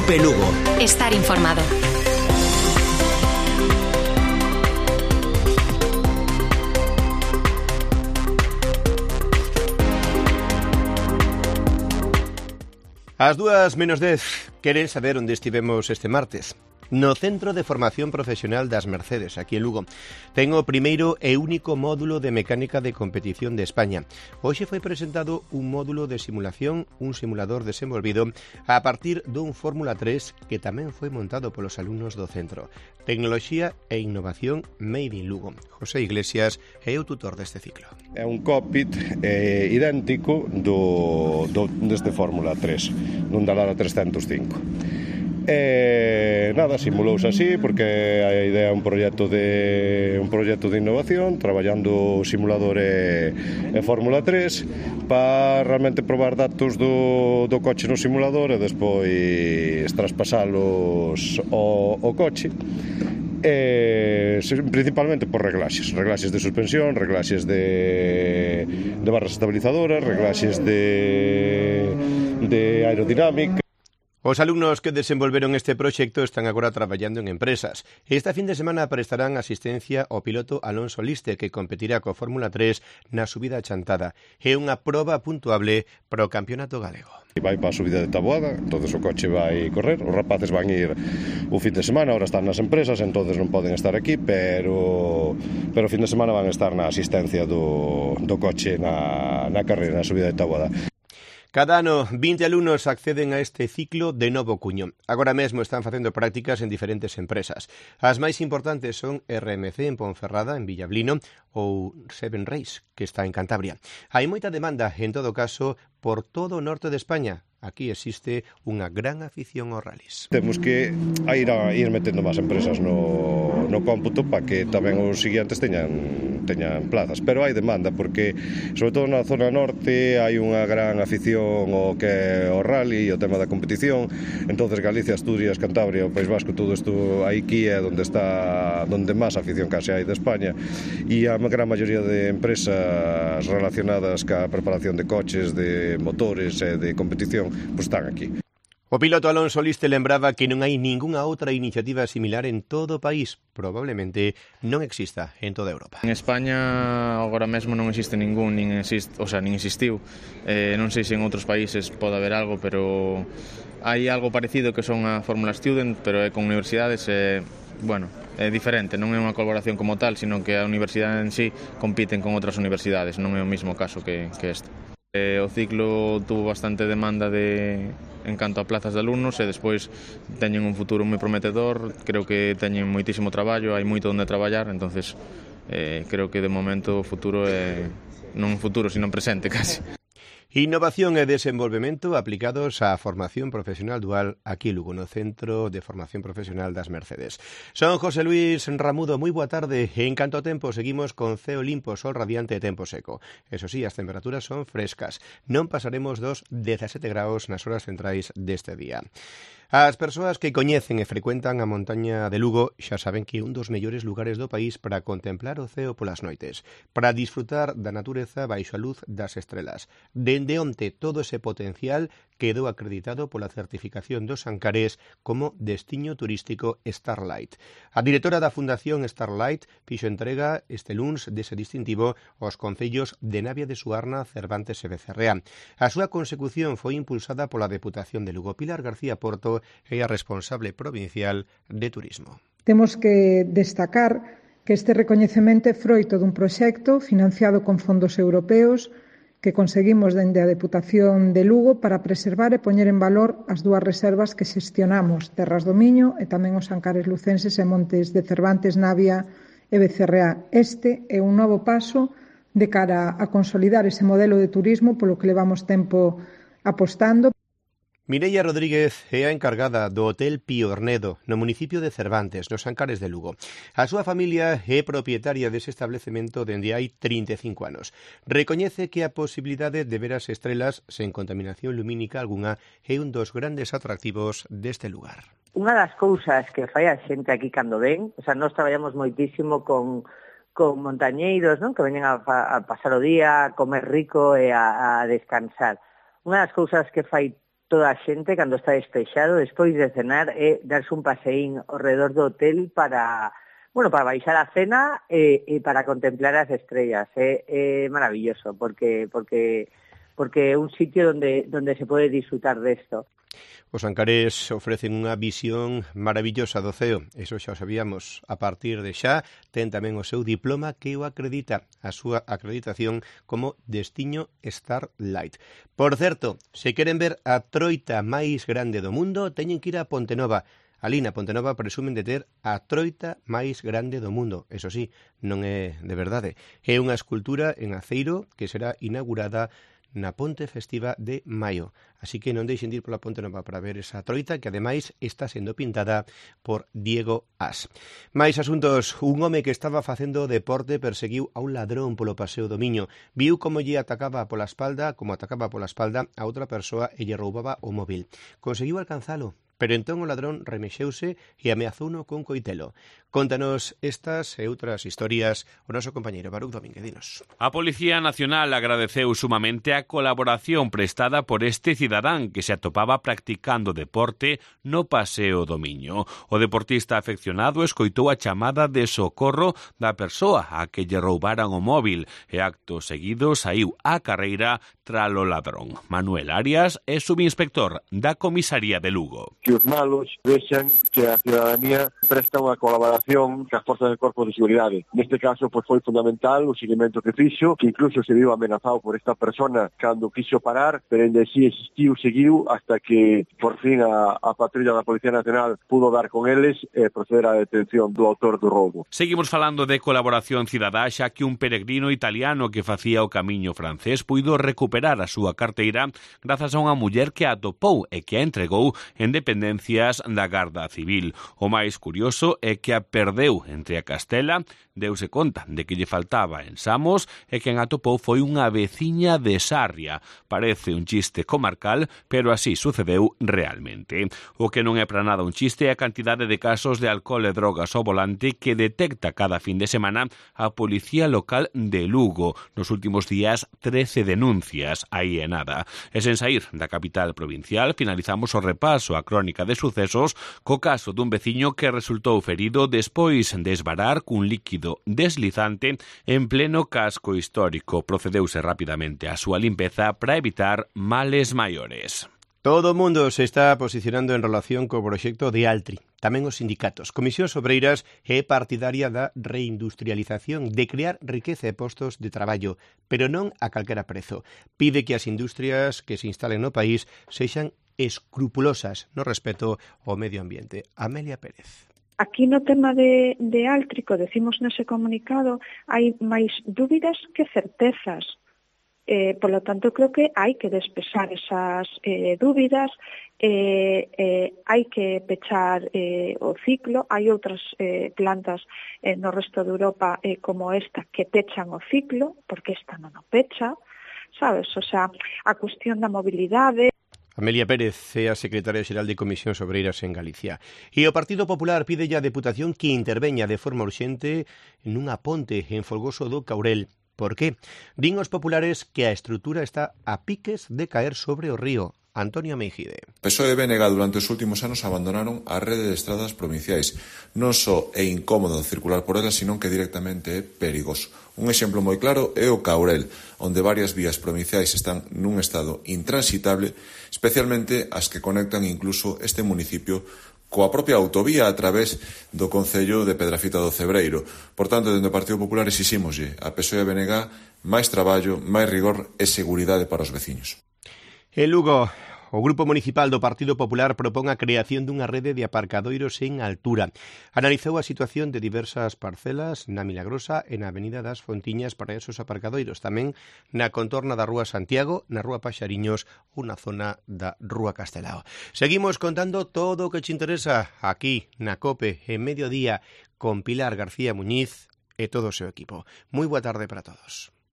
Cope Lugo. Estar informado. Ás 2:10, queren saber onde estivemos este martes? No Centro de Formación Profesional das Mercedes, aquí en Lugo. Ten o primeiro e único módulo de mecánica de competición de España. Hoxe foi presentado un módulo de simulación, un simulador desenvolvido a partir dun Fórmula 3 que tamén foi montado polos alumnos do centro. Tecnoloxía e innovación made in Lugo. José Iglesias é o tutor deste ciclo. É un cockpit idéntico deste Fórmula 3, dun Dallara 305. Simulouse así porque a idea é un proxecto de innovación, traballando o simulador e Fórmula 3 para realmente probar datos do coche no simulador e despois traspasalos ao coche. Principalmente por reglaxes de suspensión, reglaxes de barras estabilizadoras, reglaxes de aerodinámica. Os alumnos que desenvolveron este proxecto están agora traballando en empresas. Esta fin de semana prestarán asistencia ao piloto Alonso Liste, que competirá co Fórmula 3 na subida a Chantada. É unha proba puntuable para o campeonato galego. Vai para a subida de Taboada, entonces o coche vai correr, os rapaces van ir o fin de semana, ahora están nas empresas, entonces non poden estar aquí, pero o fin de semana van estar na asistencia do coche na carreira, na subida de Taboada. Cada ano, 20 alumnos acceden a este ciclo de novo cuño. Agora mesmo están facendo prácticas en diferentes empresas. As máis importantes son RMC en Ponferrada, en Villablino, ou Seven Race, que está en Cantabria. Hai moita demanda, en todo caso, por todo o norte de España. Aquí existe unha gran afición aos rallies. Temos que ir metendo máis empresas no cómputo para que tamén os seguintes teñan plazas, pero hai demanda porque sobre todo na zona norte hai unha gran afición ao que é o rally e o tema da competición. Entonces Galicia, Asturias, Cantabria, o País Vasco, todo isto aquí é onde máis afición case hai de España, e a gran maioría de empresas relacionadas ca preparación de coches, de motores e de competición pues están aquí. O piloto Alonso Liste lembraba que non hai ningunha outra iniciativa similar en todo o país, probablemente non exista en toda Europa. En España agora mesmo non existe ningún, nin existiu. Non sei se en outros países pode haber algo, pero hai algo parecido que son a Fórmula Student, pero é con universidades, é diferente, non é unha colaboración como tal, sino que a universidade en sí compiten con outras universidades, non é o mesmo caso que este. O ciclo tuvo bastante demanda en canto a plazas de alumnos e despois teñen un futuro moi prometedor, creo que teñen moitísimo traballo, hai moito onde traballar, entonces creo que de momento o futuro é non futuro, sino presente casi. Innovación e desenvolvemento aplicados á formación profesional dual aquí en Lugo, no Centro de Formación Profesional das Mercedes. Son José Luis Ramudo, moi boa tarde. En canto a tempo, seguimos con ceo limpo, sol radiante e tempo seco. Eso sí, as temperaturas son frescas. Non pasaremos dos 17 graus nas horas centrais deste día. As persoas que coñecen e frecuentan a montaña de Lugo xa saben que é un dos mellores lugares do país para contemplar o ceo polas noites, para disfrutar da natureza baixo a luz das estrelas. Dende onte todo ese potencial quedou acreditado pola certificación dos Ancares como destiño turístico Starlight. A directora da Fundación Starlight fixo entrega este luns dese distintivo aos concellos de Navia de Suarna, Cervantes e Becerrea. A súa consecución foi impulsada pola Deputación de Lugo. Pilar García Porto é a responsable provincial de turismo. Temos que destacar que este recoñecemento é froito dun proxecto financiado con fondos europeos que conseguimos dende a Deputación de Lugo para preservar e poñer en valor as dúas reservas que xestionamos, Terras do Miño e tamén os Ancares lucenses e montes de Cervantes, Navia e Becerrea. Este é un novo paso de cara a consolidar ese modelo de turismo polo que levamos tempo apostando. Mireia Rodríguez é a encargada do Hotel Pío Ornedo, no municipio de Cervantes, nos Ancares de Lugo. A súa familia é propietaria dese establecemento dende hai 35 anos. Recoñece que a posibilidade de ver as estrelas sen contaminación lumínica algunha é un dos grandes atractivos deste lugar. Unha das cousas que fai a xente aquí cando ven, nós traballamos moitísimo con montañeiros, non? Que veñen a pasar o día, a comer rico e a descansar. Unha das cousas que fai toda a xente, cando está despexado, despois de cenar, darse un paseín ao redor do hotel para baixar a cena e para contemplar as estrellas. É maravilloso, porque é un sitio donde se pode disfrutar desto. Os Ancares ofrecen unha visión maravillosa do ceo, eso xa o sabíamos. A partir de xa, ten tamén o seu diploma que o acredita, a súa acreditación como Destiño Starlight. Por certo, se queren ver a troita máis grande do mundo, teñen que ir a Pontenova. Ali na Pontenova presumen de ter a troita máis grande do mundo. Eso sí, non é de verdade. É unha escultura en aceiro que será inaugurada na Ponte Festiva de maio. Así que non deixen de ir pola Ponte Nova para ver esa troita que ademais está sendo pintada por Diego As. Mais asuntos, un home que estaba facendo deporte perseguiu a un ladrón polo Paseo do Miño. Viu como atacaba pola espalda a outra persoa e lle roubaba o móvil. Conseguiu alcanzalo, pero entón o ladrón remexeuse e ameazouno con coitelo. Contanos estas e outras historias o noso compañeiro Baruch Domínguez. Dinos. A Policía Nacional agradeceu sumamente a colaboración prestada por este cidadán que se atopaba practicando deporte no Paseo do Miño. O deportista afeccionado escoitou a chamada de socorro da persoa a que lle roubaran o móvil e acto seguido saiu á carreira tralo ladrón. Manuel Arias é subinspector da comisaría de Lugo. Que os malos vexan que a ciudadanía presta unha colaboración cas forzas do Corpo de Seguridade. Neste caso, foi fundamental o seguimento que fixo, que incluso se viu amenazado por esta persona cando quiso parar, pero ainda así seguiu, hasta que por fin a patrulla da Policía Nacional pudo dar con eles e proceder á detención do autor do roubo. Seguimos falando de colaboración cidadá, xa que un peregrino italiano que facía o camiño francés puido recuperar a súa carteira grazas a unha muller que a atopou e que a entregou en dependencias da Garda Civil. O máis curioso é que a perdeu entre a Castela, deuse conta de que lle faltaba en Samos e quen atopou foi unha veciña de Sarria. Parece un chiste comarcal, pero así sucedeu realmente. O que non é para nada un chiste é a cantidade de casos de alcohol e drogas ao volante que detecta cada fin de semana a Policía Local de Lugo. Nos últimos días, 13 denuncias, aí é nada. E sen saír da capital provincial, finalizamos o repaso a crónica de sucesos co caso dun veciño que resultou ferido despois de esvarar cun líquido deslizante en pleno casco histórico. Procedeuse rapidamente a súa limpeza para evitar males maiores. Todo o mundo se está posicionando en relación co proxecto de Altri. Tamén os sindicatos. Comisións Obreiras é partidaria da reindustrialización, de crear riqueza e postos de traballo, pero non a calquera prezo. Pide que as industrias que se instalen no país sexan escrupulosas no respeto ao medio ambiente. Amelia Pérez. Aquí no tema de Áltrico, decimos nese comunicado, hai máis dúbidas que certezas. Por lo tanto, creo que hai que despexar esas dúbidas, hai que pechar o ciclo. Hai outras plantas no resto de Europa como esta que pechan o ciclo, porque esta non o pecha, sabes? O sea, a cuestión da mobilidade. Amelia Pérez é a secretaria xeral de Comisións Obreiras en Galicia. E o Partido Popular pide á Deputación que interveña de forma urxente nunha ponte en Folgoso do Caurel. Por qué? Din os populares que a estrutura está a piques de caer sobre o río. Antonio Meijide. PSOE e BNG durante os últimos anos abandonaron a rede de estradas provinciais. Non só é incómodo circular por elas, sino que directamente é perigoso. Un exemplo moi claro é o Caurel, onde varias vías provinciais están nun estado intransitable, especialmente as que conectan incluso este municipio coa propia autovía a través do concello de Pedrafita do Cebreiro. Por tanto, dende o Partido Popular exixímoslle a PSOE e BNG máis traballo, máis rigor e seguridade para os veciños. En Lugo, o Grupo Municipal do Partido Popular propón a creación dunha rede de aparcadoiros en altura. Analizou a situación de diversas parcelas na Milagrosa e na Avenida das Fontiñas para esos aparcadoiros, tamén na contorna da Rúa Santiago, na Rúa Paxariños ou na zona da Rúa Castelao. Seguimos contando todo o que te interesa aquí na COPE en Mediodía con Pilar García Muñiz e todo o seu equipo. Moi boa tarde para todos.